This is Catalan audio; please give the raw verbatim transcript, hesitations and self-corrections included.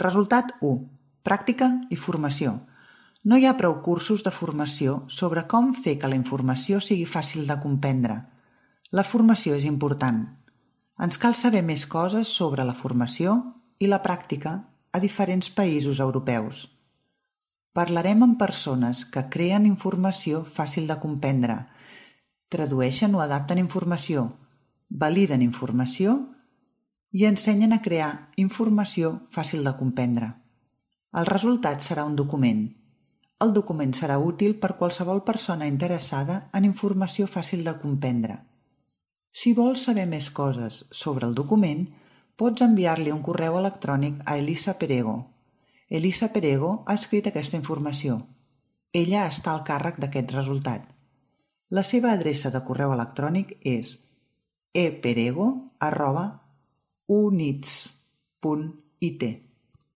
Resultat u. Pràctica i formació. No hi ha prou cursos de formació sobre com fer que la informació sigui fàcil de comprendre. La formació és important. Ens cal saber més coses sobre la formació i la pràctica a diferents països europeus. Parlarem amb persones que creen informació fàcil de comprendre, tradueixen o adapten informació, validen informació i ensenyen a crear informació fàcil de comprendre. El resultat serà un document. El document serà útil per qualsevol persona interessada en informació fàcil de comprendre. Si vols saber més coses sobre el document, pots enviar-li un correu electrònic a Elisa Perego. Elisa Perego ha escrit aquesta informació. Ella està al càrrec d'aquest resultat. La seva adreça de correu electrònic és eperego arroba units punt it.